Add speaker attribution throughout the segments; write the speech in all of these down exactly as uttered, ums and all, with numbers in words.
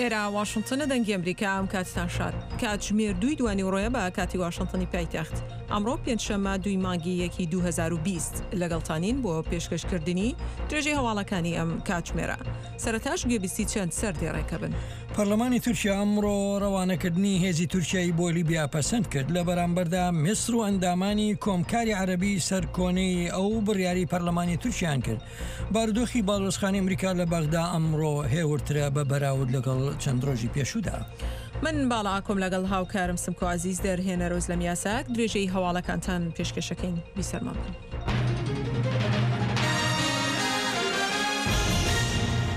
Speaker 1: ئێرە واشنتنە دەنگی ئەمریکا ئەم کاتتان شاد. کاتژمێر دووی دوانیوەڕۆیە بە کاتی واشنتنی پایتەخت. ئەمڕۆ پێنجشەممە دووی مانگی یەکی دوو هەزار و بیست لەگەڵتانین بۆ پێشکەشکردنی درێژەی هەواڵەکانی ئەم کاتژمێرە. سەرەتاش گوێبیستی چەند سەردێڕێکە بن.
Speaker 2: پەرلەمانی تورکیا ئەمڕۆ ڕەوانەکردنی هێزی تورکیای بۆ لیبیا پەسەند کرد، لە بەرامبەردا میسر و ئەندامانی کۆمکاری عەرەبی سەرکۆنەی ئەو بڕیاری پەرلەمانی تورکیان کرد. بارودۆخی باڵیۆزخانەی ئەمریکا لە بەغدا ئەمڕۆ هێورترە بە بەراورد لەگەڵ چەند ڕۆژی پێشوودا.
Speaker 1: من باڵا ئاکۆم لەگەڵ هاوکارم سمکۆ عەزیز دەرهێنەر ئۆزلەم یاساک درێژەی هەواڵەکانتان پێشکەشەکەین. بیسەرمان بن.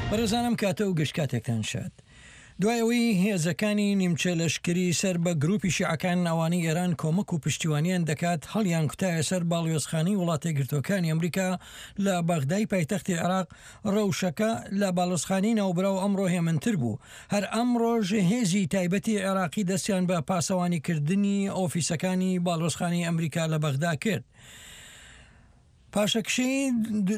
Speaker 2: بەڕێزانم کاتە و گشت کاتێکتان شاد. دوای ئەوەی هێزەکانی نیمچە لەشکری سەر بە گروپی شیعەکان ئەوانەی ئێران کۆمەک و پشتیوانیان دەکات هەڵیان کوتایە سەر باڵیۆزخانەی وڵاتەیەکگرتووەکانی ئەمریکا لە بەغدای پایتەختی عێراق، ڕەوشەکە لە باڵیۆزخانەی ناوبراو ئەمڕۆ هێمنتر بوو. هەر ئەمڕۆژ هێزی تایبەتی عێراقی دەستیان بە پاسەوانیکردنی ئۆفیسەکانی باڵیۆزخانەی ئەمریکا لە بەغدا کرد. پاشەکشەی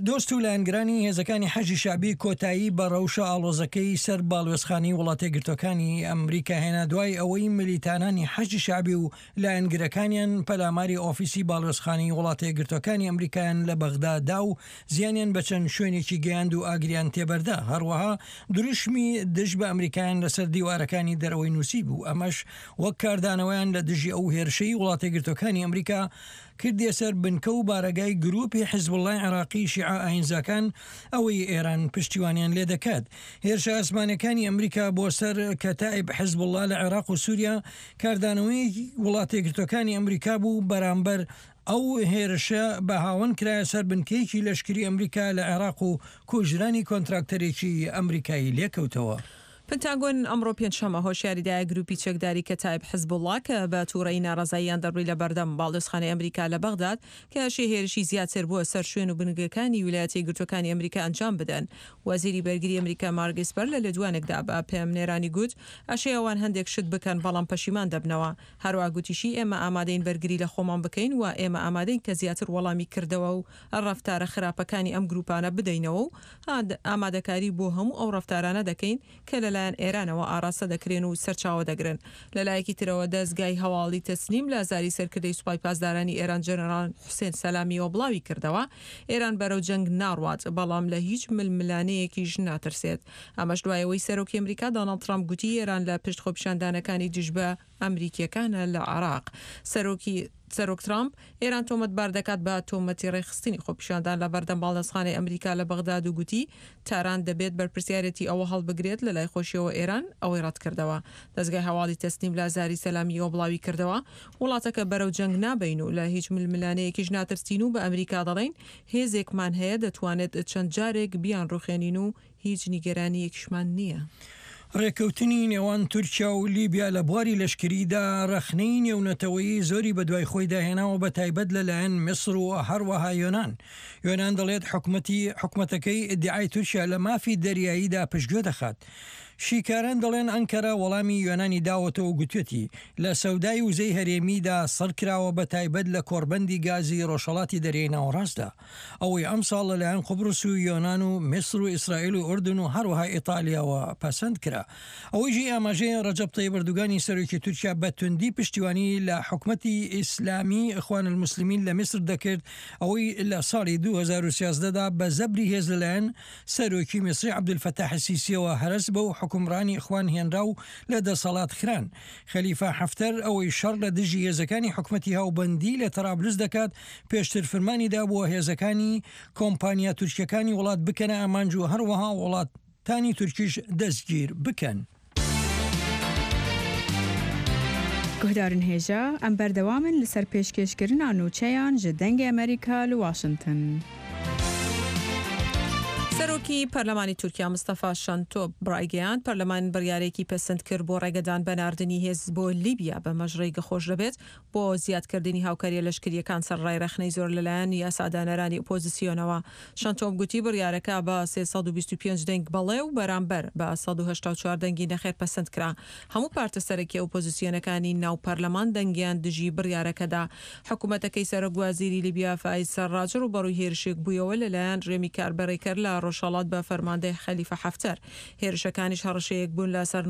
Speaker 2: دۆست و لایەنگرانی هێزەکانی حەشدی شەعبی کۆتایی بە ڕەوشە ئاڵۆزەکەی سەر باڵوێزخانەی وڵاتەیەکگرتووەکانی ئەمریکا هێنا دوای ئەوەی ملیتانانی حەشدی شەعبی و لایەنگرەکانیان پەلاماری ئۆفیسی باڵوێزخانەی وڵاتەیەکگرتووەکانی ئەمریکایان لە بەغدا دا و زیانیان بە چەند شوێنێکی گەیاند و ئاگریان تێبەردا، هەروەها دروشمی دژ بە ئەمریکایان لەسەر دیوارەکانی دەرەوەی نووسی بوو، ئەمەش وەک کاردانەوەیان لە دژی ئەو هێرشەی وڵاتەیەکگرتووەکانی ئەمریکا کردیە سەر بنکە و بارەگای گروپی حزبوڵای عێراقی شیعە ئاینزاکان ئەوەی ئێران پشتیوانیان لێ دەکات. هێرشە ئاسمانەکانی ئەمریکا بۆ سەر کەتائیب حزبوڵا لە عێراق و سووریا کاردانەوەی وڵاتەیەکگرتووەکانی ئەمریکا بوو بەرامبەر ئەو هێرشە بە هاوەن کرایە سەر بنکەیەکی لەشکری ئەمریکا لە عێراق و کوژرانی کۆنتراکتەرێکی ئەمریکایی لێکەوتەوە.
Speaker 1: پنتاگۆن ئەمڕۆ پێنجشەممە هۆشیاری دایە گروپی چەکداری کەتایب حزبوڵا کە بە تووڕەیی ناڕەزاییان دەربڕی لە بەردەم باڵیۆزخانەی ئەمریکا لە بەغداد کە ئەشێ هێرشی زیاتر بۆ سەر شوێن و بنگەکانی ویلایەتە یەکگرتووەکانی ئەمریکا ئەنجام بدەن. وەزیری بەرگری ئەمریکا مارک ئیسپەر لە لێدوانێکدا بە پەیامنێرانی گوت ئەشێ ئەوان هەندێک شت بکەن بەڵام پەشیمان دەبنەوە. هەروەها گوتیشی ئێمە ئامادەین بەرگری لە خۆمان بکەین و ئێمە ئامادەین کە زیاتر وەڵامی کردەوە و ڕەفتارە خراپەکانی ئەم گروپانە بدەینەوە و ئامادەکاری بۆ هەموو ئەو ڕەفتارانە دەکەین کە لەلایەن ئێرانەوە ئاراستە دەکرێن و سەرچاوە دەگرن. لەلایەکی ترەوە دەزگای هەواڵی تەسنیم لە زاری سەرکردەی سوپای پاسدارانی ئێران جەنەراڵ حوسێن سەلامیەوە بڵاوی کردەوە ئێران بەرەو جەنگ ناڕوات بەڵام لە هیچ ململانەیەکیش ناترسێت. ئەمەش دوای ئەوەی سەرۆکی ئەمریکا دۆناڵد ترامپ گوتی ئێران لە پشت خۆپیشاندانەکانی دژ بە ئەمریکیەکانە لە عێراق. سەرۆکی سەرۆک ترامپ ئێران تۆمەتبار دەکات بە تۆمەتی ڕێکخستنی خۆپیشاندان لە بەردەم باڵیۆزخانەی ئەمریکا لە بەغداد و گوتی تاران دەبێت بەرپرسیارێتی ئەوە هەڵبگرێت. لە لای خۆشیەوە ئێران ئەوەی ڕەتکردەوە. دەزگای هەواڵی تەسنیم لە زاری سەلامیەوە بڵاوی کردەوە وڵاتەکە بەرەو جەنگ نابین و لە هیچ ململانەیەکیش ناترسین و بە ئەمریکا دەڵێین هێزێکمان هەیە دەتوانێت چەند جارێک بیان ڕوخێنین و هیچ نیگەرانیەکیشمان نییە.
Speaker 2: ڕێککەوتنی نێوان تورکیا و لیبیا لە بواری لەشکریدا ڕەخنەی نێونەتەوەیی زۆری بەدوای خۆیدا هێناوە بە تایبەت لەلایەن میسر و هەروەها یۆناان. یۆناان دەڵێت حکومەتی حکومەتەکەی ئیدعای تورکیا لە مافی دەریاییدا پشتگوێ دەخات. شیکاران دەڵێن ئەنکەرە وەڵامی یۆنانی داوەتەوە و گوتوێتی لە سەودای وزەی هەرێمیدا سڕ کراوە بە تایبەت لە کۆڕبەندی گازی ڕۆژهەڵاتی دەریای ناوەڕاستدا ئەوەی ئەمساڵ لەلایەن قوبرس و یۆنان و میسر و ئیسرائیل و ئوردن و هەروەها ئیتالیاوە پەسەند کرا. ئەوەی جێی ئاماژەیە ڕەجەب تەیب ئەردوگانی سەرۆکی تورکیا بە توندی پشتیوانی لە حکومەتی ئیسلامی ئیخوان الموسلمین لە میسر دەکرد ئەوەی لە ساڵی دوو هەزار و سیازدە دا بە زەبری هێز لەلایەن سەرۆکی میسری عەبدولفەتاح سیسیەوە هەرەس بەو حوکمڕانی ئیخوان هێنرا و لە دەسەڵات خران. خەلیفە حەفتەر ئەوەی شەڕ لە دژی هێزەکانی حکومەتی هاوبەندی لە تەرابلس دەکات پێشتر فرمانی دابووە هێزەکانی کۆمپانیا تورکیەکانی وڵات بکەنە ئامانج و هەروەها وڵاتانی تورکیش دەستگیر بکەن.
Speaker 3: Guhdarên hêja, em berdewam in li ser pêşkêşkirina nûçeyan ji Dengê Amerîka li Washington.
Speaker 1: سەرۆکی پەرلەمانی تورکیا مستەفا شەنتۆپ ڕایگەیاند پەرلەمان بڕیارێکی پەسەند کرد بۆ ڕێگەدان بە ناردنی هێز بۆ لیبیا بەمەش ڕێگە خۆش دەبێت بۆ زیادکردنی هاوکاریە لەشکریەکان سەرڕای ڕەخنەی زۆر لەلایەن یاسادانەرانی ئۆپۆزیسیۆنەوە. شەنتۆپ گوتی بڕیارەکە بە سێ سەد و بیست و پێنج دەنگ بەڵێ و بەرامبەر بە سەد و هەشتا و چوار دەنگی نەخێر پەسەند کرا. هەموو پارتە سەرەکی ئۆپۆزیسیۆنەکانی ناو پەرلەمان دەنگیان دژی بڕیارەکەدا. حکوومەتەکەی سەرۆک وەزیری لیبیا فایز سەرڕاج ڕووبەڕووی هێرشێک بوویەوە لەلایەن ڕێمی کاربەڕێکەر لە ڕۆژهەڵات بە فەرماندەی خەلیفە حەفتەر. هێرشەکانیش هەڕەشەیەک بوون لە سەر